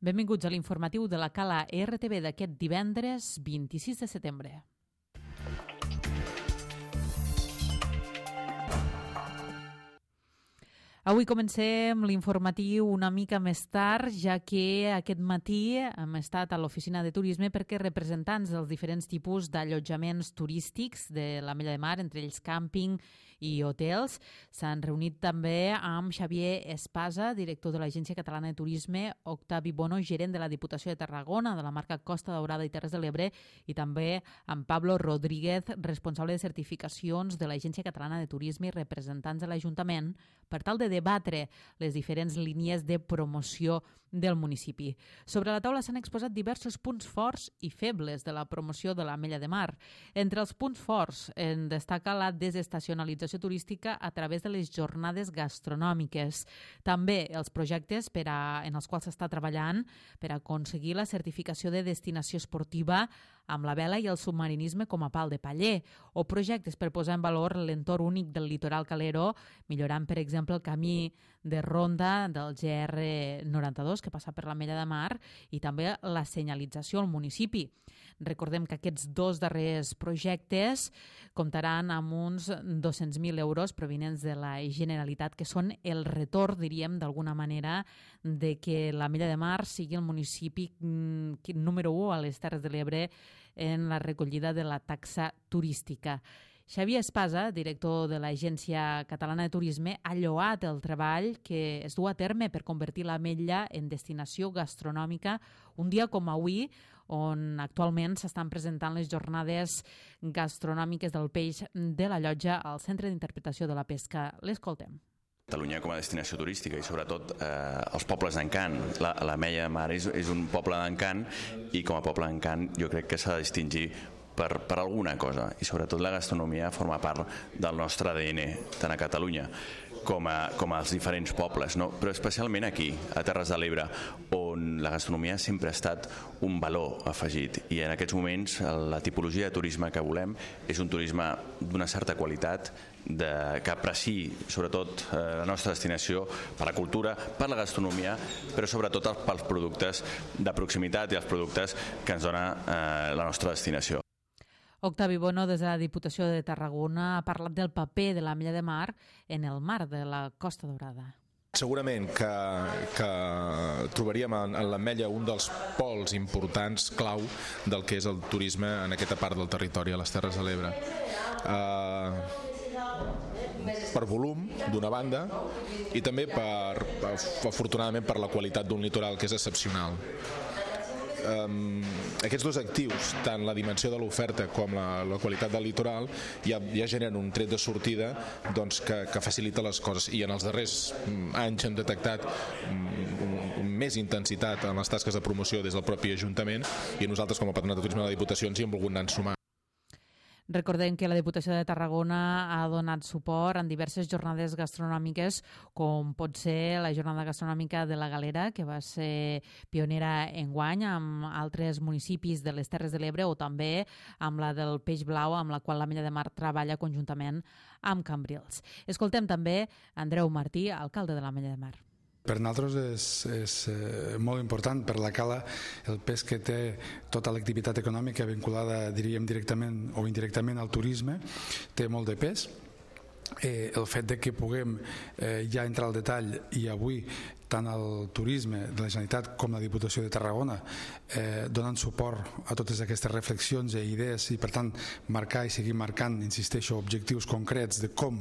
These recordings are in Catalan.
Benvinguts a l'informatiu de la Cala RTV d'aquest divendres 26 de setembre. Avui comencem l'informatiu una mica més tard, ja que aquest matí hem estat a l'oficina de turisme perquè representants dels diferents tipus d'allotjaments turístics de l'Ametlla de Mar, entre ells càmping i hotels, s'han reunit també amb Xavier Espasa, director de l'Agència Catalana de Turisme, Octavi Bono, gerent de la Diputació de Tarragona, de la marca Costa Daurada i Terres de l'Ebre, i també amb Pablo Rodríguez, responsable de certificacions de l'Agència Catalana de Turisme i representants de l'Ajuntament, per tal de debatre les diferents línies de promoció del municipi. Sobre la taula s'han exposat diversos punts forts i febles de la promoció de l'Ametlla de Mar. Entre els punts forts en destaca la desestacionalització turística a través de les jornades gastronòmiques. També els projectes en els quals s'està treballant per aconseguir la certificació de destinació esportiva amb la vela i el submarinisme com a pal de paller, o projectes per posar en valor l'entorn únic del litoral calero, millorant, per exemple, el camí de ronda del GR92 que passa per l'Ametlla de Mar i també la senyalització al municipi. Recordem que aquests dos darrers projectes comptaran amb uns 200.000 euros provinents de la Generalitat, que són el retorn, diríem, d'alguna manera, de que l'Ametlla de Mar sigui el municipi número 1 a les Terres de l'Ebre en la recollida de la taxa turística. Xavier Espasa, director de l'Agència Catalana de Turisme, ha lloat el treball que es du a terme per convertir l'Ametlla en destinació gastronòmica un dia com avui, on actualment s'estan presentant les jornades gastronòmiques del peix de la Llotja al Centre d'Interpretació de la Pesca. L'escoltem. Catalunya com a destinació turística i sobretot els pobles d'encant. L'Ametlla de Mar és un poble d'encant i com a poble d'encant jo crec que s'ha de distingir per alguna cosa, i sobretot la gastronomia forma part del nostre ADN, tant a Catalunya com als diferents pobles, no? Però especialment aquí, a Terres de l'Ebre, on la gastronomia sempre ha estat un valor afegit, i en aquests moments la tipologia de turisme que volem és un turisme d'una certa qualitat, que apreciï sobretot la nostra destinació per la cultura, per la gastronomia, però sobretot pels productes de proximitat i els productes que ens dona la nostra destinació. Octavi Bono, des de la Diputació de Tarragona, ha parlat del paper de l'Ametlla de Mar en el mar de la Costa Daurada. Segurament que trobaríem en l'Ametlla un dels pols importants, clau, del que és el turisme en aquesta part del territori, a les Terres de l'Ebre. Per volum, d'una banda, i també afortunadament per la qualitat d'un litoral que és excepcional. Aquests dos actius, tant la dimensió de l'oferta com la qualitat del litoral, ja generen un tret de sortida que facilita les coses, i en els darrers anys hem detectat més intensitat en les tasques de promoció des del propi Ajuntament, i nosaltres com a Patronat de Turisme de la Diputació ens hi hem volgut anar sumar. Recordem que la Diputació de Tarragona ha donat suport en diverses jornades gastronòmiques, com pot ser la jornada gastronòmica de la Galera, que va ser pionera enguany amb altres municipis de les Terres de l'Ebre, o també amb la del Peix Blau, amb la qual l'Ametlla de Mar treballa conjuntament amb Cambrils. Escoltem també Andreu Martí, alcalde de l'Ametlla de Mar. Per nosaltres és molt important per la Cala el pes que té tota l'activitat econòmica vinculada, diríem, directament o indirectament al turisme, té molt de pes. El fet de que puguem ja entrar al detall, i avui tant el turisme de la Generalitat com la Diputació de Tarragona donen suport a totes aquestes reflexions i idees, i per tant marcar i seguir marcant, insisteixo, objectius concrets de com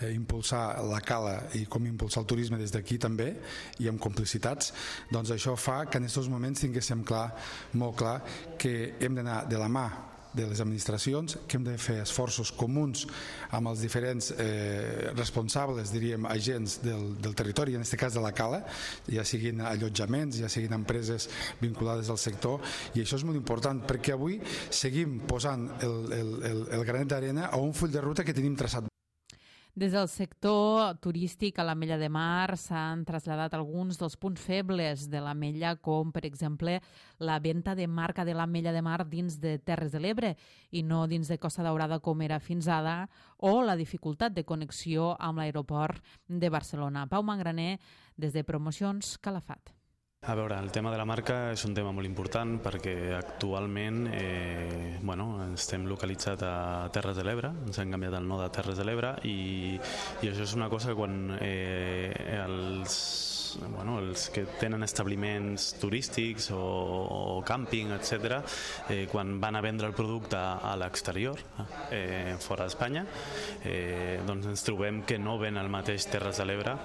impulsar la Cala i com impulsar el turisme des d'aquí també, i amb complicitats, doncs això fa que en aquests moments tinguéssim molt clar que hem d'anar de la mà de les administracions, que hem de fer esforços comuns amb els diferents responsables, diríem, agents del territori, en aquest cas de la Cala, ja siguin allotjaments, ja siguin empreses vinculades al sector, i això és molt important perquè avui seguim posant el granet d'arena a un full de ruta que tenim traçat. Des del sector turístic a l'Ametlla de Mar s'han traslladat alguns dels punts febles de l'Ametlla, com per exemple la venda de marca de l'Ametlla de Mar dins de Terres de l'Ebre i no dins de Costa Daurada com era fins ara, o la dificultat de connexió amb l'aeroport de Barcelona. Pau Mangraner, des de Promocions Calafat. A veure, el tema de la marca és un tema molt important perquè actualment estem localitzats a Terres de l'Ebre, ens han canviat el nom de Terres de l'Ebre i això és una cosa que quan els que tenen establiments turístics o càmping, etc., quan van a vendre el producte a l'exterior, fora d'Espanya, doncs ens trobem que no ven el mateix Terres de l'Ebre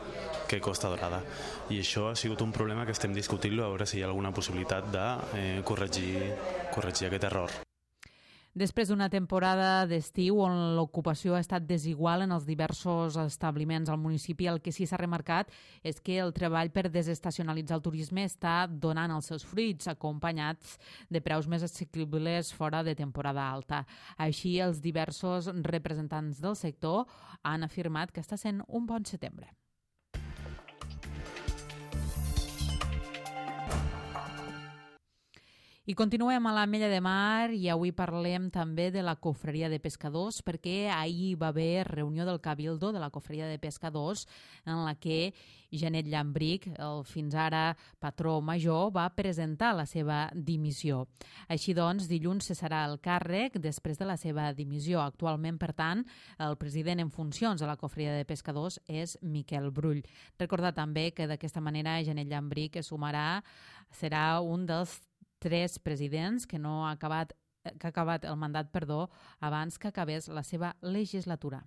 que Costa Dorada. I això ha sigut un problema que estem discutint-lo a veure si hi ha alguna possibilitat de corregir aquest error. Després d'una temporada d'estiu on l'ocupació ha estat desigual en els diversos establiments al municipi, el que sí s'ha remarcat és que el treball per desestacionalitzar el turisme està donant els seus fruits, acompanyats de preus més assequibles fora de temporada alta. Així, els diversos representants del sector han afirmat que està sent un bon setembre. I continuem a l'Ametlla de Mar i avui parlem també de la Cofreria de Pescadors perquè ahir va haver reunió del Cabildo de la Cofreria de Pescadors en la que Janet Llambric, el fins ara patró major, va presentar la seva dimissió. Així doncs, dilluns cessarà el càrrec després de la seva dimissió. Actualment, per tant, el president en funcions de la Cofreria de Pescadors és Miquel Brull. Recordar també que d'aquesta manera Janet Llambric serà un dels 3 presidents que ha acabat el mandat, abans que acabés la seva legislatura.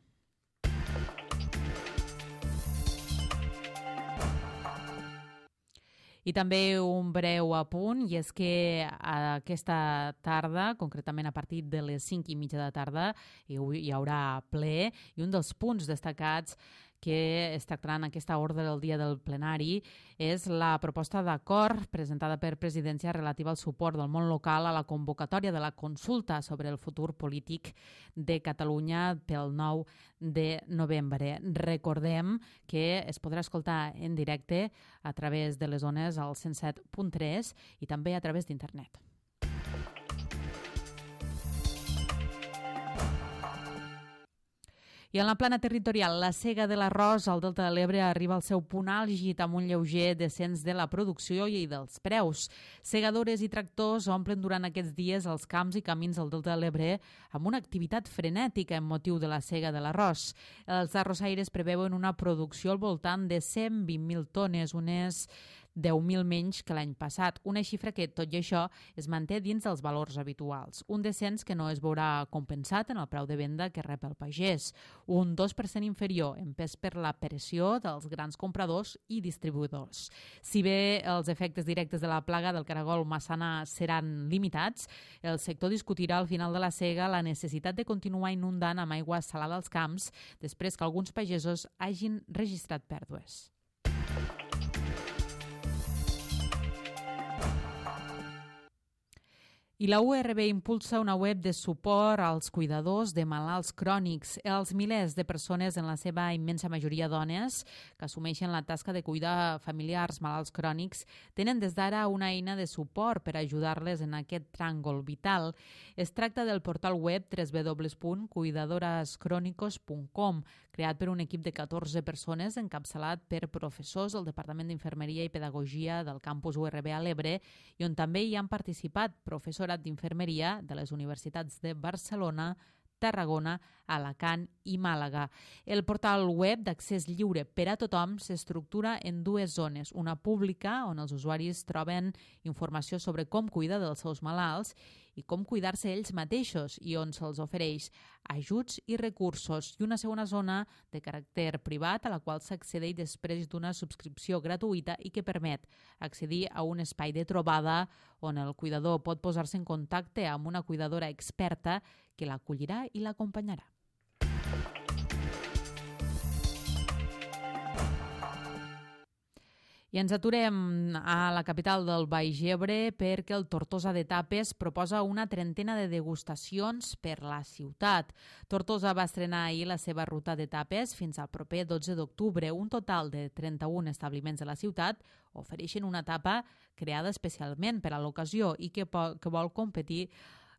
I també un breu apunt, i és que aquesta tarda, concretament a partir de les 5:30 de la tarda, hi haurà ple, i un dels punts destacats que es tractarà en aquesta ordre del dia del plenari és la proposta d'acord presentada per Presidència relativa al suport del món local a la convocatòria de la consulta sobre el futur polític de Catalunya pel 9 de novembre. Recordem que es podrà escoltar en directe a través de les ones al 107.3 i també a través d'internet. I en la plana territorial, la sega de l'arròs al Delta de l'Ebre arriba al seu punt àlgid amb un lleuger descens de la producció i dels preus. Segadores i tractors omplen durant aquests dies els camps i camins del Delta de l'Ebre amb una activitat frenètica en motiu de la sega de l'arròs. Els arrossaires preveuen una producció al voltant de 120.000 tones, unes 10.000 menys que l'any passat, una xifra que, tot i això, es manté dins dels valors habituals. Un descens que no es veurà compensat en el preu de venda que rep el pagès, un 2% inferior, empès per la pressió dels grans compradors i distribuïdors. Si bé els efectes directes de la plaga del caragol massana seran limitats, el sector discutirà al final de la sega la necessitat de continuar inundant amb aigua salada als camps després que alguns pagesos hagin registrat pèrdues. I la URB impulsa una web de suport als cuidadors de malalts crònics. Els milers de persones, en la seva immensa majoria dones, que assumeixen la tasca de cuidar familiars malalts crònics, tenen des d'ara una eina de suport per ajudar-les en aquest tràngol vital. Es tracta del portal web www.cuidadorescronicos.com, creat per un equip de 14 persones encapçalat per professors del Departament d'Infermeria i Pedagogia del campus URB a l'Ebre i on també hi han participat professorat d'Infermeria de les universitats de Barcelona, Tarragona, Alacant i Màlaga. El portal web d'accés lliure per a tothom s'estructura en 2 zones, una pública, on els usuaris troben informació sobre com cuidar dels seus malalts i com cuidar-se ells mateixos i on se'ls ofereix ajuts i recursos, i una segona zona de caràcter privat a la qual s'accedeix després d'una subscripció gratuïta i que permet accedir a un espai de trobada on el cuidador pot posar-se en contacte amb una cuidadora experta que l'acollirà i l'acompanyarà. I ens aturem a la capital del Baix Ebre perquè el Tortosa de Tapes proposa una trentena de degustacions per la ciutat. Tortosa va estrenar ahir la seva ruta de tapes fins al proper 12 d'octubre. Un total de 31 establiments de la ciutat ofereixen una tapa creada especialment per a l'ocasió i que vol competir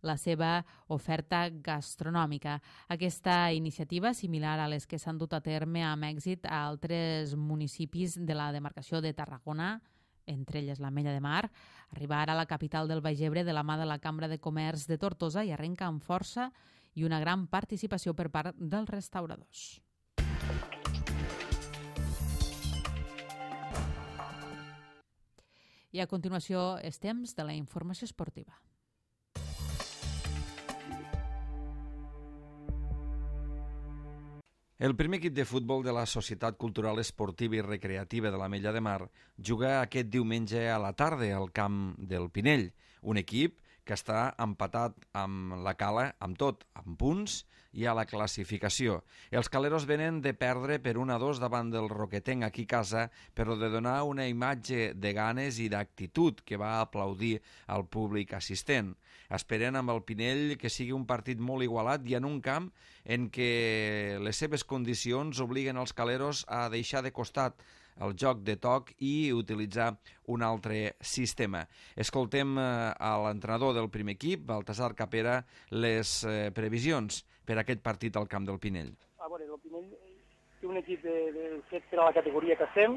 la seva oferta gastronòmica. Aquesta iniciativa, similar a les que s'han dut a terme amb èxit a altres municipis de la demarcació de Tarragona, entre elles l'Ametlla de Mar, arriba ara a la capital del Baix Ebre de la mà de la Cambra de Comerç de Tortosa i arrenca amb força i una gran participació per part dels restauradors. I a continuació és temps de la informació esportiva. El primer equip de futbol de la Societat Cultural Esportiva i Recreativa de l'Ametlla de Mar juga aquest diumenge a la tarda al camp del Pinell, un equip que està empatat amb la Cala, amb tot, amb punts i a la classificació. Els caleros venen de perdre per 1-2 davant del Roquetenc aquí a casa, però de donar una imatge de ganes i d'actitud que va aplaudir al públic assistent. Esperen amb el Pinell que sigui un partit molt igualat i en un camp en què les seves condicions obliguen els caleros a deixar de costat el joc de toc i utilitzar un altre sistema. Escoltem a l'entrenador del primer equip, Baltasar Capera, les previsions per a aquest partit al camp del Pinell. A veure, el Pinell té un equip fet per a la categoria que estem,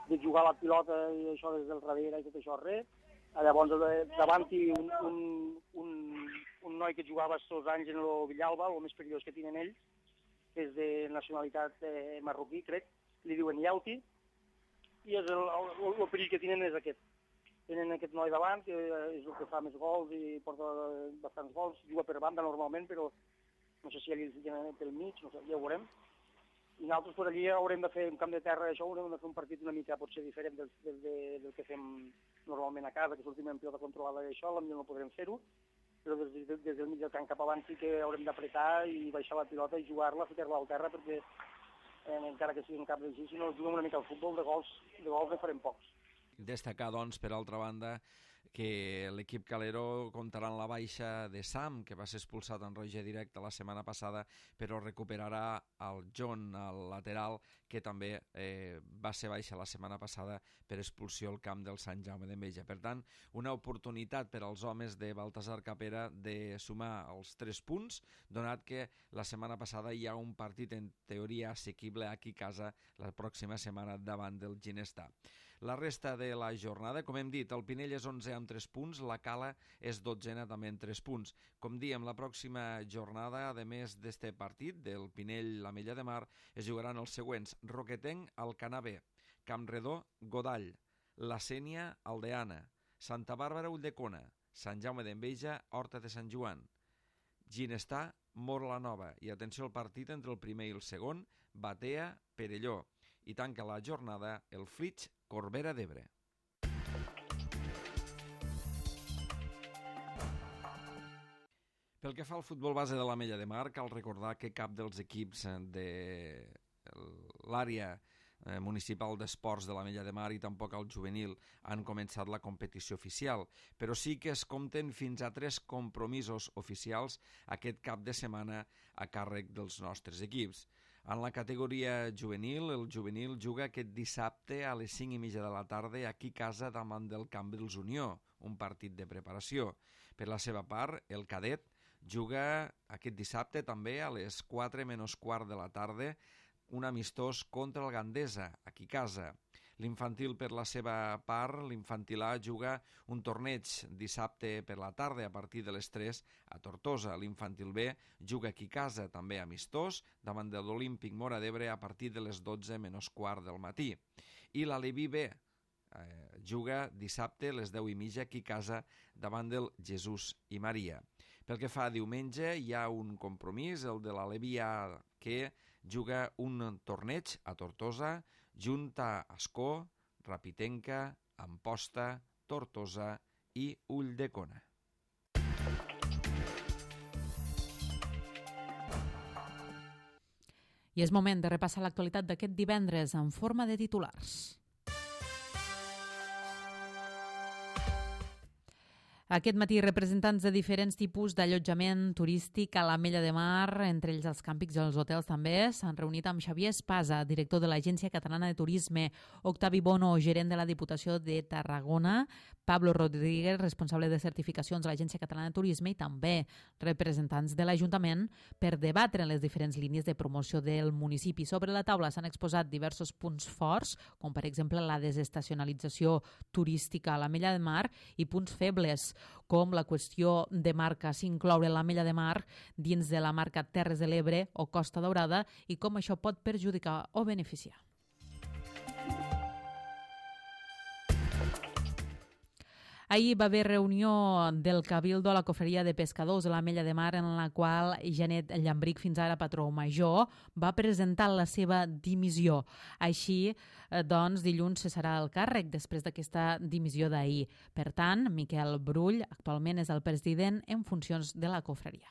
de jugar la pilota i això des del darrere i tot això res. Llavors, davant-hi un noi que jugava aquests 2 anys en el Villalba, el més perillós que tenen ells, que és de nacionalitat marroquí, crec, li diuen Yauti, i el perill que tenen és aquest. Tenen aquest noi davant, que és el que fa més gols i porta bastants gols, juga per banda normalment, però no sé si allà pel mig, no sé, ja ho veurem. I nosaltres per allí haurem de fer un camp de terra, això haurem de fer un partit una mica potser diferent del que fem normalment a casa, que sortim en pilota controlada i això, potser no podrem fer-ho, però des del mig del camp cap avant sí que haurem d'apretar i baixar la pilota i jugar-la, ficar-la al terra, perquè encara que sigui un camp d'així, si no juguem una mica al futbol, de gols ne farem pocs. Destacar, doncs, per altra banda, que l'equip calero comptarà en la baixa de Sam, que va ser expulsat en roja directa la setmana passada, però recuperarà el John, el lateral, que també va ser baixa la setmana passada per expulsió al camp del Sant Jaume d'Enveja. Per tant, una oportunitat per als homes de Baltasar Capera de sumar els 3 punts, donat que la setmana passada hi ha un partit en teoria assequible aquí a casa la pròxima setmana davant del Ginestà. La resta de la jornada, com hem dit, el Pinell és 11 amb 3 punts, la Cala és 12 també amb 3 punts. Com diem, la pròxima jornada, a més d'este partit, del Pinell-l'Ametlla de Mar, es jugaran els següents: Roquetenc, Alcanar B, Campredó, Godall, La Sénia, Aldeana, Santa Bàrbara, Ulldecona, Sant Jaume d'Enveja, Horta de Sant Joan, Ginestà, Mor-la-Nova, i atenció al partit entre el primer i el segon, Batea, Perelló, i tanca la jornada el Flix, Corbera d'Ebre. Pel que fa al futbol base de l'Ametlla de Mar, cal recordar que cap dels equips de l'àrea municipal d'esports de l'Ametlla de Mar i tampoc el juvenil han començat la competició oficial, però sí que es compten fins a 3 compromisos oficials aquest cap de setmana a càrrec dels nostres equips. En la categoria juvenil, el juvenil juga aquest dissabte a les 5:30 de la tarda aquí a casa davant del Cambrils Unió, un partit de preparació. Per la seva part, el cadet juga aquest dissabte també a les 4:15 de la tarda un amistós contra el Gandesa, aquí a casa. L'infantil, per la seva part, l'infantil A juga un torneig dissabte per la tarda a partir de les 3 a Tortosa. L'infantil B juga aquí a casa, també amistós, davant de l'Olímpic Móra d'Ebre a partir de les 12:15 del matí. I l'Aleví B juga dissabte a les 10:30 aquí a casa davant del Jesús i Maria. Pel que fa a diumenge, hi ha un compromís, el de l'Aleví A, que juga un torneig a Tortosa, junt a Ascó, Rapitenca, Amposta, Tortosa i Ulldecona. I és moment de repassar l'actualitat d'aquest divendres en forma de titulars. Aquest matí, representants de diferents tipus d'allotjament turístic a l'Ametlla de Mar, entre ells els càmpings i els hotels també, s'han reunit amb Xavier Espasa, director de l'Agència Catalana de Turisme, Octavi Bono, gerent de la Diputació de Tarragona, Pablo Rodríguez, responsable de certificacions de l'Agència Catalana de Turisme, i també representants de l'Ajuntament per debatre les diferents línies de promoció del municipi. Sobre la taula s'han exposat diversos punts forts, com per exemple la desestacionalització turística a l'Ametlla de Mar, i punts febles, com la qüestió de marca, s'incloure l'Ametlla de Mar dins de la marca Terres de l'Ebre o Costa Daurada i com això pot perjudicar o beneficiar. Ahir va haver reunió del Cabildo a la Cofreria de Pescadors de l'Ametlla de Mar, en la qual Janet Llambric, fins ara patró major, va presentar la seva dimissió. Així, doncs, dilluns cessarà el càrrec després d'aquesta dimissió d'ahir. Per tant, Miquel Brull actualment és el president en funcions de la Cofreria.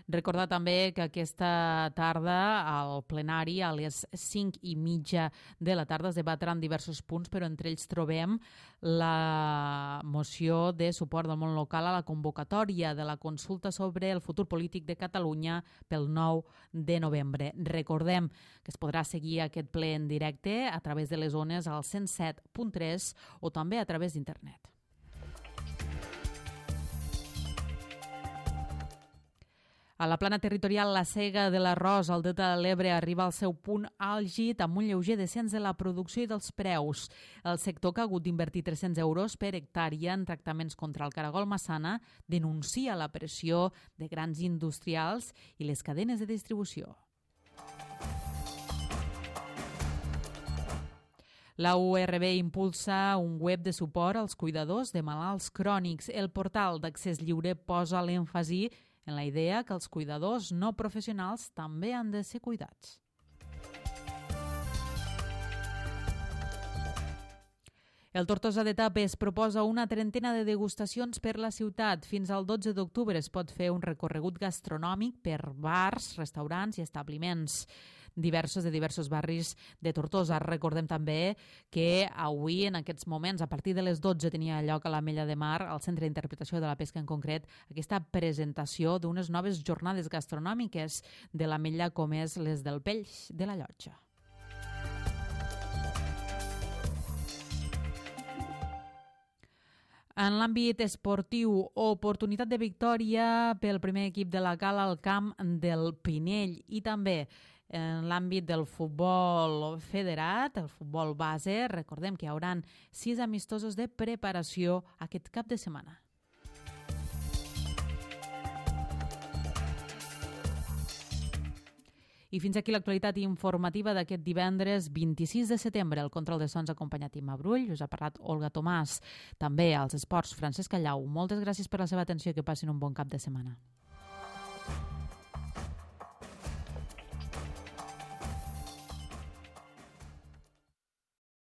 Recordar també que aquesta tarda al plenari a les 5:30 de la tarda es debatran diversos punts, però entre ells trobem la moció de suport del món local a la convocatòria de la consulta sobre el futur polític de Catalunya pel 9 de novembre. Recordem que es podrà seguir aquest ple en directe a través de les ones al 107.3 o també a través d'internet. A la plana territorial, la sega de l'arròs al Delta de l'Ebre arriba al seu punt àlgid amb un lleuger descens de la producció i dels preus. El sector, que ha hagut d'invertir 300 euros per hectàrea en tractaments contra el caragol massana, denuncia la pressió de grans industrials i les cadenes de distribució. La URB impulsa un web de suport als cuidadors de malalts crònics. El portal d'accés lliure posa l'èmfasi en la idea que els cuidadors no professionals també han de ser cuidats. El Tortosa de Tapes proposa una trentena de degustacions per la ciutat. Fins al 12 d'octubre es pot fer un recorregut gastronòmic per bars, restaurants i establiments de diversos barris de Tortosa. Recordem també que avui, en aquests moments, a partir de les 12, tenia lloc a l'Ametlla de Mar, al Centre d'Interpretació de la Pesca en concret, aquesta presentació d'unes noves jornades gastronòmiques de l'Ametlla, com és les del Peix de la Llotja. En l'àmbit esportiu, oportunitat de victòria pel primer equip de la Cala al camp del Pinell, i també en l'àmbit del futbol federat, el futbol base. Recordem que hi haurà 6 amistosos de preparació aquest cap de setmana. I fins aquí l'actualitat informativa d'aquest divendres 26 de setembre. El control de sons acompanyat Imma Brull, us ha parlat Olga Tomàs. També als esports, Francesc Callau. Moltes gràcies per la seva atenció i que passin un bon cap de setmana.